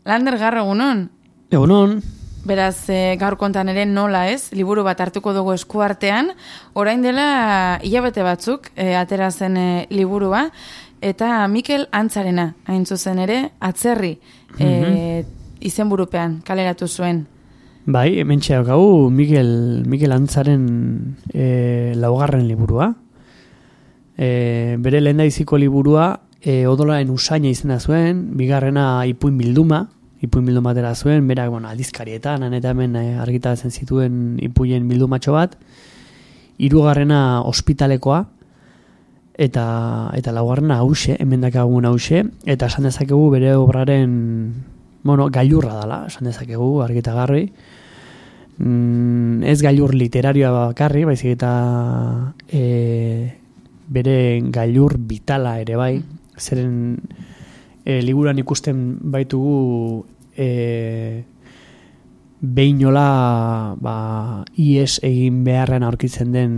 Lander Garro, egunon? Egunon. Beraz, gaur kontan ere nola ez, liburu bat hartuko dugu eskuartean, orain dela hilabete batzuk atera zen liburua, eta Mikel Antzarena, hain zuzen ere, atzerri izenburupean kaleratu zuen. Bai, hemen txeakagu Mikel Antzaren laugarren liburua. Bere lehendabiziko liburua odolaren usaina izena zuen, bigarrena ipuin bilduma atera zuen, berak aldizkarietan, eta hemen argitaratzen zituen ipuien bildumatxo bat, hirugarrena ospitalekoa, eta laugarrena hause, hemen dakagun hause, eta esan dezakegu bere obraren, gailurra dela, esan dezakegu, argitagarri. Ez gailur literarioa bakarri, baizik eta bere gailur vitala ere bai, zeren liburuan ikusten baitugu behinola ies egin beharren aurkitzen den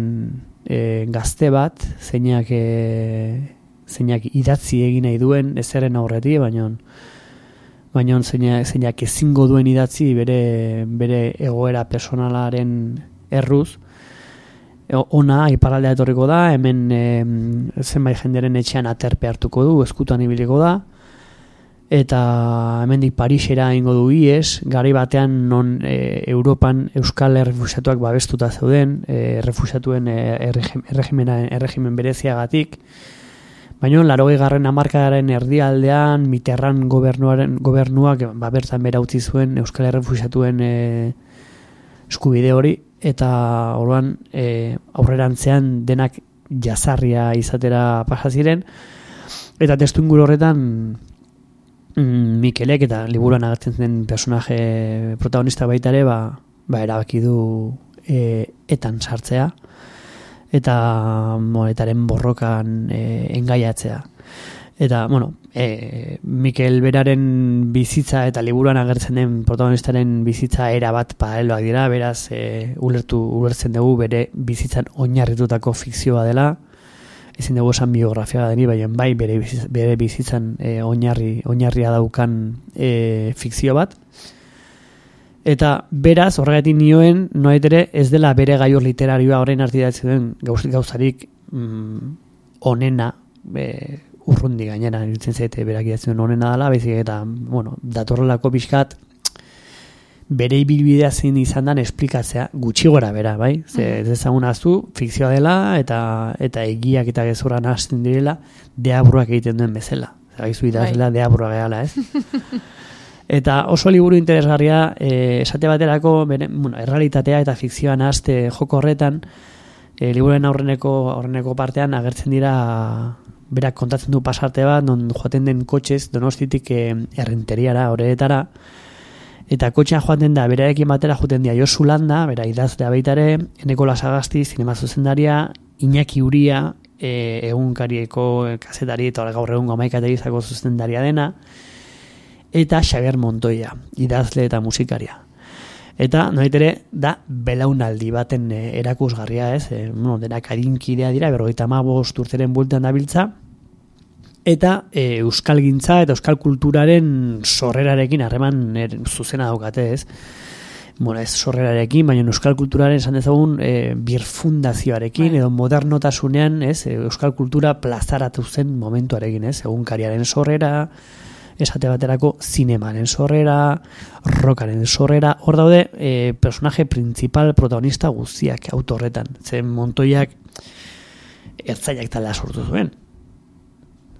gazte bat, zeinak idatzi egin nahi duen, ezeren aurretik, baina zeinak ezingo duen idatzi bere egoera personalaren erruz. Ona, iparaldea etorriko da, hemen zenbait jenderen etxean aterpe hartuko du, eskutan ibiliko da, eta hemendik Parisera ingo du ies, gari batean non Europan euskal errefuxiatuak babestuta zeuden, errefuxiatuen erregimen bereziagatik, baina 80. hamarkadaren erdialdean Mitterrand gobernuak bertan bera utzi zuen euskal errefuxiatuen eskubide hori, eta orduan aurrerantzean denak jazarria izatera pasa ziren, eta testuinguru horretan Mikelek eta liburuan agertzen den personaje protagonista baita ere erabaki du etan sartzea eta monetaren borrokan engaiatzea. Eta, Mikel beraren bizitza eta liburuan agertzen den protagonistaren bizitza era bat paraleloak dira, beraz ulertzen dugu bere bizitzan oinarritutako fikzioa dela, ezin dugu esan biografia deni, baina bai bere bizitzan oinarria daukan fikzio bat. Eta beraz, horregatik nioen, noait ere ez dela bere gaiur literarioa orain artiratzen duen gauzarik onena, urrundi gainera, iruditzen zaite berak idatzen honena dela, baizik eta, datorrelako pixkat bere ibilbidea zein izan dan esplikatzea, gutxi gora bera, bai? Ez ezagun aztu, fikzioa dela, eta egiak eta gezurran hasten direla, deabruak egiten duen bezala. Zagaizu idazela, deabrua gehala, ez? Eta oso liburu interesgarria, esate baterako, errealitatea eta fikzioan haste joko horretan, liburuen aurreneko partean agertzen dira berak kontatzen du pasarte bat, non joaten den kotxez, Donostitik Errenteriara, horretara, eta kotxean joaten da, berarekin batera joaten dira Josu Landa, bera idazlea baitare, Eneko Lasagasti, zinema zuzendaria, Iñaki Uria, egunkarieko kazetari, eta gaur egun 11 telebistako zuzendaria dena, eta Xabier Montoya, idazle eta musikaria. Eta, noitere, da belaunaldi baten erakusgarria, ez? Denak adinkidea dira, 55 urteren bueltan dabiltza, eta euskalgintza eta euskal kulturaren sorrerarekin harreman zuzena daukate, ez? Ez sorrerarekin, baina euskal kulturaren esan dezagun birfundazioarekin, edo modernotasunean, ez? Euskal kultura plazaratu zen momentuarekin, ez? Egunkariaren sorrera, esate baterako zinemaren sorrera, rockaren sorrera, hor daude personaje principal protagonista guztiak autorretan. Zen Montoiak ertzainak taldea sortu zuen.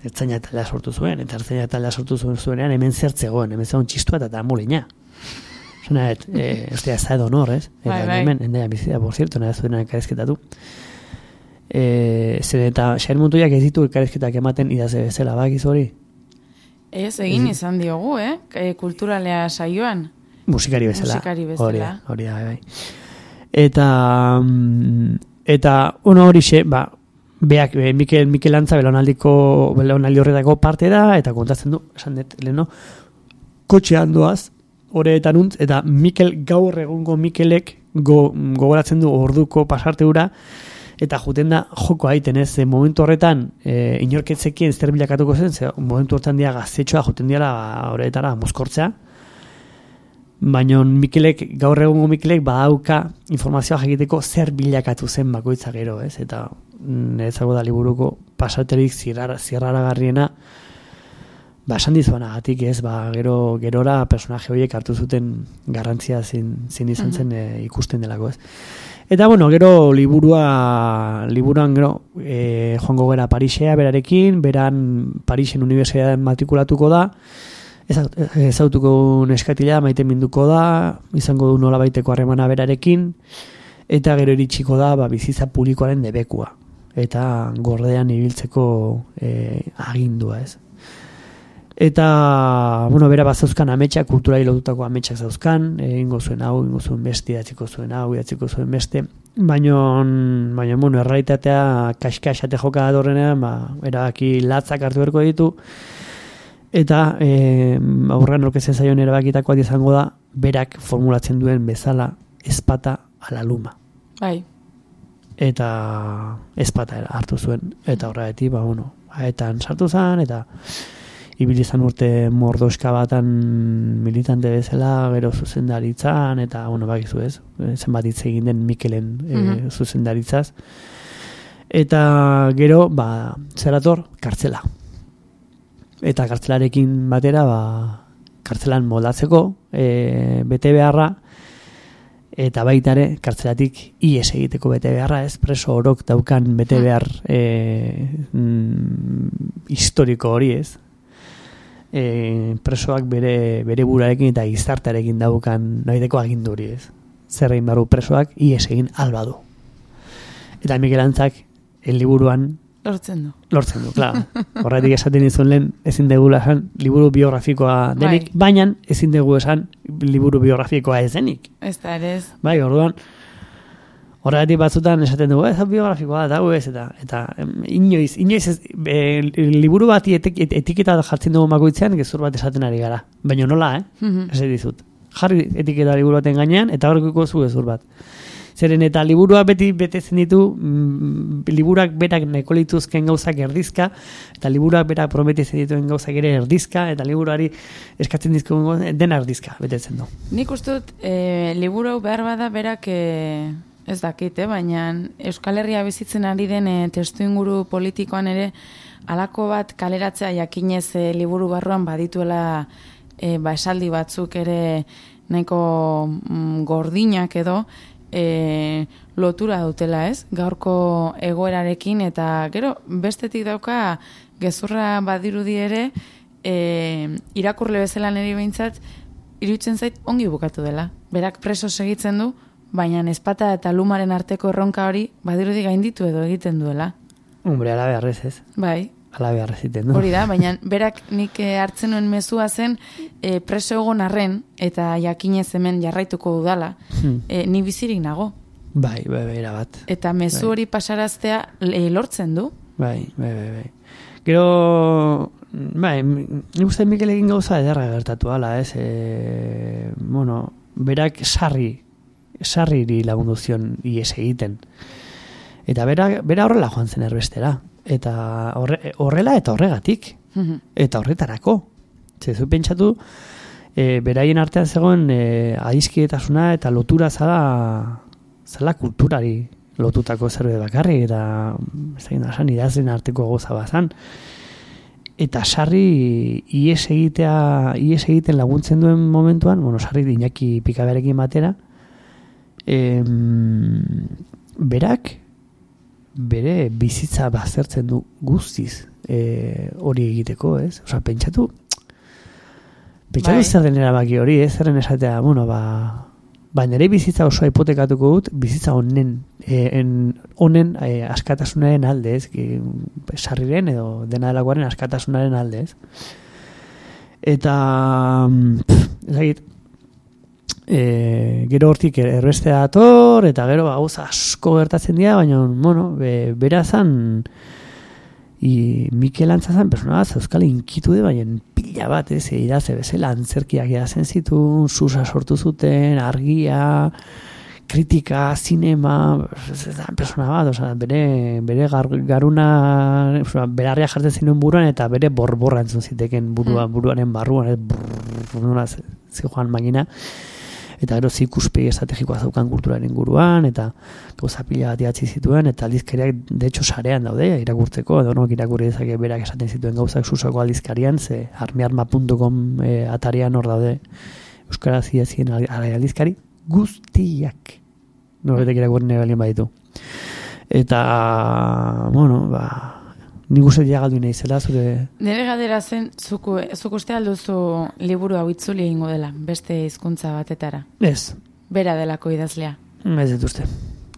Eta ertzainak taldea sortu zuenean hemen zertzegoen, hemen zegoen txistua eta molina. Zena, ez da edo honor, ez? Hemen, endea bizita, por cierto, nahi zuen elkarrizketatu. Zer eta Xabier Montoiak ez ditu elkarrizketak ematen idazle bezala, bakiz hori? Ez, egin izan diogu, kulturalea saioan. Musikari bezala. Hori da, bai. Eta horixe, beak, Mikel Antza belaunaldi horretako parte da, eta kontatzen du, esan dut, leheno, kotxean doaz, horretan untz, eta gaur egungo Mikelek gogoratzen du orduko pasarte hura, eta juten da joko haiten, ez, momentu horretan inorketzekien zer bilakatuko zen, momentu horretan dia gaztetxoa juten diala horretara mozkortzea, Baina gaur egungo Mikelek badauka informazioa egiteko zer bilakatu zen bakoitza gero, ez? Eta niretzako da liburuko pasaterik zirraragarriena, esan dizuanagatik, ez? Gerora personaje horiek hartu zuten garrantzia zin izan zen ikusten delako, ez? Eta, gero liburuan gero joango gara Parisea berarekin, beran Parisen unibertsitatean matrikulatuko da, ezautuko neskatila maite minduko da, izango du nolabaiteko harremana berarekin, eta gero iritsiko da bizitza publikoaren debekua, eta gordean ibiltzeko agindua, ez? Eta, bera bazauzkan ametsak, kulturari lotutako ametsak zauzkan, ingo zuen hau, ingo zuen beste, idatziko zuen hau, idatziko zuen beste, baina, errealitatea kaska-esate joka adorrenean, erabaki latzak hartu berko ditu, eta aurrean orkezen zaion erabakitakoa izango da, berak formulatzen duen bezala ezpata ala luma. Bai. Eta ezpata hartu zuen, eta horregatik, haetan sartu zen, eta ibilizan urte mordoska batan militante bezala, gero zuzendaritzan, eta, bakizu ez, zenbat hitz egin den Mikelen zuzendaritzaz. Eta gero, zerator, kartzela. Eta kartzelarekin batera, kartzelan moldatzeko, bete beharra, eta baitare, kartzelatik ies egiteko bete beharra, ez, preso orok daukan bete behar historiko hori, ez. Presoak bere burarekin eta gizartearekin daukan noideko aginduri, ez. Zer egin barru presoak ies egin alba du. Eta Mikel Antzak liburuan lortzen du, klar. Horretik esaten izun lehen ezin degula esan liburu biografikoa denik, baina ezin dugu esan liburu biografikoa ez denik. Ez da, ere ez. Bai, orduan horregatik batzutan esaten dugu, ez biografikoa da, eta inoiz ez, liburu bati etiketa jartzen dugu makoitzean, gezur bat esaten ari gara. Baina nola, ez dizut. Jarri etiketa liburu baten gainean, eta horrekuko zu gezur bat. Zeren eta liburua beti betetzen ditu, liburak berak nahiko lituzken gauzak erdizka, eta liburak berak prometitzen dituen gauzak ere erdizka, eta liburuari eskatzen dizkun dena erdizka betetzen du. Nik uste dut, liburu behar bada berak... Ez dakit, baina Euskal Herria bizitzen ari den testu inguru politikoan ere halako bat kaleratzea jakinez liburu barruan badituela esaldi batzuk ere nahiko gordinak edo lotura dutela, ez? Gaurko egoerarekin eta gero bestetik dauka gezurra badirudi ere irakurle bezala niri behintzat iruditzen zait ongi bukatu dela. Berak preso segitzen du, baina ezpata eta lumaren arteko erronka hori badirudi gainditu edo egiten duela. Hombre, ala beharrez ez. Bai. Ala beharrez egiten du. Hori da, baina berak nik hartzen nuen mezua zen preso egon arren eta jakinez hemen jarraituko dudala, ni bizirik nago. Bai, erabat. Eta mezu hori pasaraztea lortzen du. Bai. Gero, nik uste Mikel egin gauza ederra gertatu ala, ez? Berak sarriri lagundu zion ies egiten. Eta bera horrela joan zen erbestera. Eta horrela eta horregatik. Eta horretarako. Zezu pentsatu, beraien artean zegoen adizkietasuna eta lotura zala kulturari lotutako zerbait bakarri, eta idazlen arteko goza bazan. Eta sarri ies egiten laguntzen duen momentuan, sarri Iñaki Pikaberekin batera, berak bere bizitza baztertzen du guztiz hori egiteko, ez? Osa, pentsatu zer den erabaki hori, ez? Zerren esatea, nire bizitza osoa hipotekatuko dut, bizitza honen askatasunaren alde, ez? Sarriren edo dena delakoaren askatasunaren alde, ez? Eta ezagit, gero hortik erbestea dator, eta gero gauza asko gertatzen dira, baina, berazan Mikel Antzazan persona bat euskal inkitude, baina pila bat, idaze bezala antzerkiak idazen zituen, susa sortu zuten, argia, kritika, zinema, persona bat, bere garuna, berarria jartzen zinuen buruan, eta bere borborra entzun ziteken buruaren barruan, zijoan magina. eta gero ikuspegi estrategikoa zaukan kulturaren inguruan, eta gauza pila bat idatzi zituen, eta aldizkariak, de hecho, sarean daude, irakurtzeko, edo nok irakurri dezake berak esaten zituen gauzak susoko aldizkarian, ze armiarma.com atarian hor daude euskaraz idazien aldizkari guztiak. Noretek irakurri nahi balien baditu. Eta, bueno, nik uste diagaldu nahi zela, zure... Nire galdera zen, zuk uste alduzu liburu hau itzuli egingo dela, beste hizkuntza batetara. Ez. Bera delako idazlea. Ez dut uste.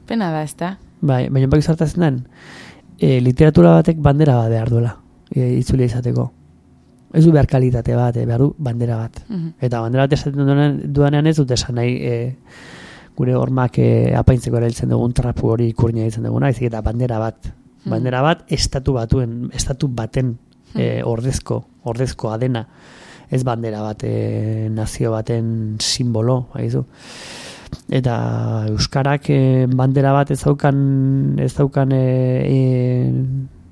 Pena da, ezta? Bai, baina baki zartazen den, literatura batek bandera bat behar duela, itzulia izateko. Ez du behar kalitate bat, behar du bandera bat. Eta bandera bat esaten duanean ez dut esan nahi... gure hormak apaintzeko erailtzen dugun trapu hori ikurnia ditzen duguna, ezik eta bandera bat. Bandera bat estatu baten ordezkoa dena. Ez bandera bat nazio baten simbolo, haizu. Eta euskarak bandera bat ez daukan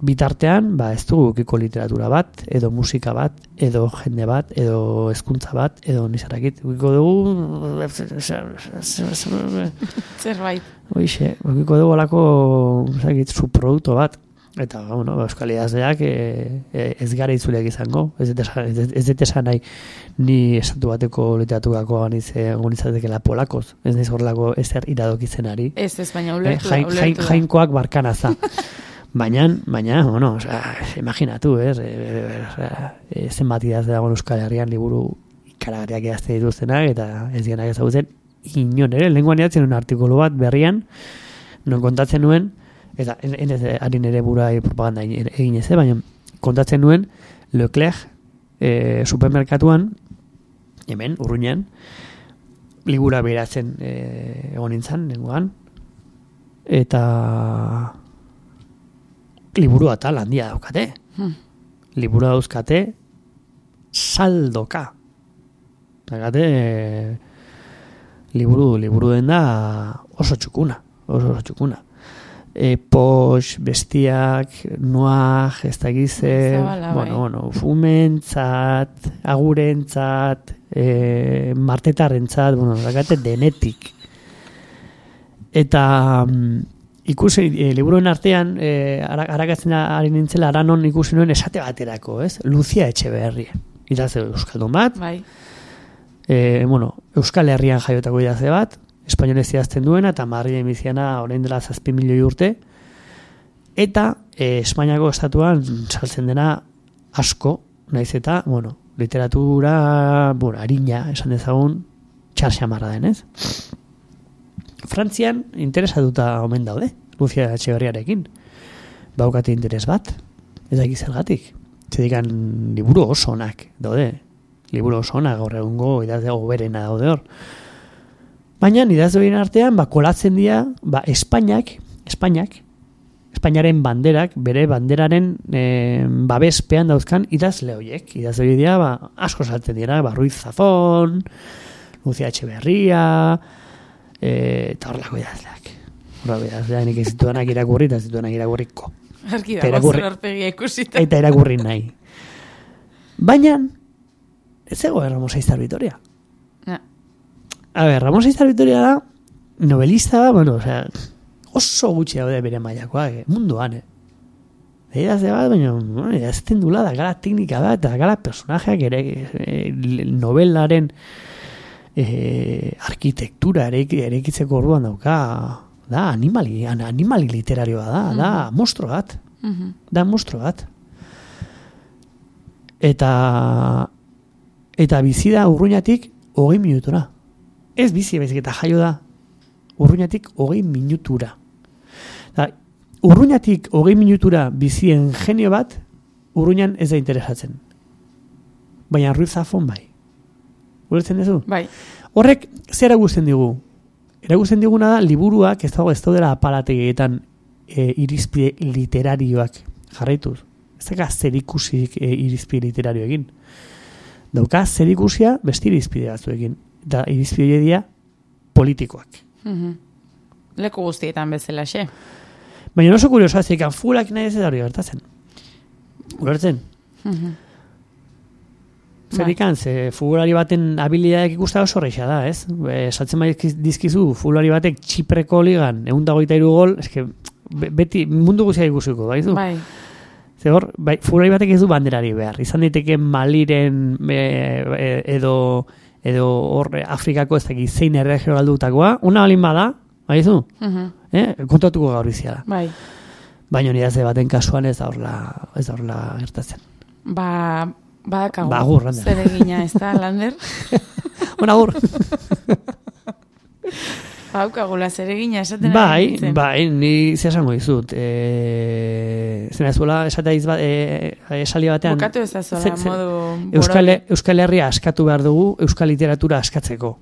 bitartean, ez dugu ukiko literatura bat, edo musika bat, edo jende bat, edo hezkuntza bat, edo nizarakit. Ukiko dugu... Zerbait. Oixe, ukiko dugu alako subprodukto bat. Eta, bueno, euskal idazleak ez gara itzuleak izango. Ez dut esan nahi ni estatu bateko literaturako agonizatekela polakoz. Ez nahiz horrelako ezer iradokitzen ari. Ez, baina ulertu da. Jainkoak barkanaza. Baina, bueno, imaginatu, zenbat idazle dagoen Euskal Herrian liburu ikaragarriak idazte dituztenak, eta ez dienak ezagutzen, inon ere, lenguan idatzen un artikulu bat berrian, non kontatzen nuen, eta harin ere burai propaganda egin ez, baina kontatzen nuen, Leclerc supermerkatuan, hemen, Urruñan, libura behiratzen egon nintzen, lenguan, eta... liburu atal handia daukate. Liburu dauzkate saldoka. Daukate liburu den da oso txukuna. Pox, bestiak, noak, ez da gize, fumentzat, agurentzat, martetarrentzat, daukate denetik. Eta... ikusi, liburuen artean, arakatzen ari nintzela, aranon ikusi nuen esate baterako, ez? Lucia Etxeberria. Idazle euskaldun bat. Bai. Euskal Herrian jaiotako idazle bat, espainolez idazten duena, eta Madrilen biziana orain dela 7 milioi urte. Eta Espainiako estatuan saltzen dena asko, naiz eta, literatura, harina, esan dezagun, txarxamarra den, ez? Frantzian interesatuta omen daude, Lucia Etxeberriarekin. Baukate interes bat, ez da gizergatik. Zedikan liburu oso onak daude. Liburu oso onak gaur egungo idazle goberena daude hor. Baina idazleen artean kolatzen dira Espainiaren banderak, bere banderaren babespean dauzkan idazle horiek. Idazle dira asko saltzen dira, Ruiz Zafón, Lucia Etxeberria... eta horrelako idazleak. Nik ez zituanak irakurri eta zituanak irakurriko. Arki dago zer horpegia ikusita. Eta irakurri nahi. Baina, ez ego Ramos Aizar Vitoria. Ramos Aizar Vitoria da novelista, oso gutxi daude bere mailakoak, munduan, idazle bat, baina idazten dula da gara teknika bat, da gara personajeak novelaren arkitektura erekitzeko orduan dauka, da animali literarioa da monstro bat. Da monstro bat. Eta bizi da Urruñatik 20 minutura. Ez bizi baizik eta jaio da Urruñatik 20 minutura. Urruñatik 20 minutura bizien genio bat Urruñan ez da interesatzen. Baina Ruiz Zafón bai. Ulertzen duzu? Bai. Horrek, zer eragusten digu? Eragusten diguna da, liburuak ez daudela apalategietan irizpide literarioak jarraituz. Ez daga zer ikusik irizpide literarioekin. Dauka zer ikusia beste irizpide batzuekin. Eta irizpide dira politikoak. Leku guztietan bezala, xe. Baina oso kuriosoa, zeikan fulak nahi ez da hori gertatzen. Ulertzen? Zerikan, ze futbolari baten habilidadeak ikusta oso horreixa da, ez? Saltzen dizkizu, futbolari batek Txipreko ligan, 123 gol, eske, beti mundu guztia ikusiko, baizu? Bai. Ze hor, futbolari batek ez du banderari behar. Izan daiteke Maliren edo hor Afrikako ez dakit zein erregio galdutakoa, una balin bada, baizu? Kontatuko gaur izia da. Bai. Baina nire ze baten kasuan ez da horla gertatzen. Badakagu. Agur, Lander. Zer egina, ez da, Lander? Agur. Baukagula zer egina, esaten Bai, ni zesango dizut. Zena ez bola, esaldi batean... Bukatu ez da zola, modu... Euskal Herria askatu behar dugu, Euskal Literatura askatzeko.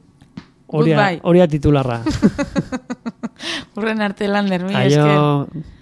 Horia titularra. Urren arte, Lander, mi esker.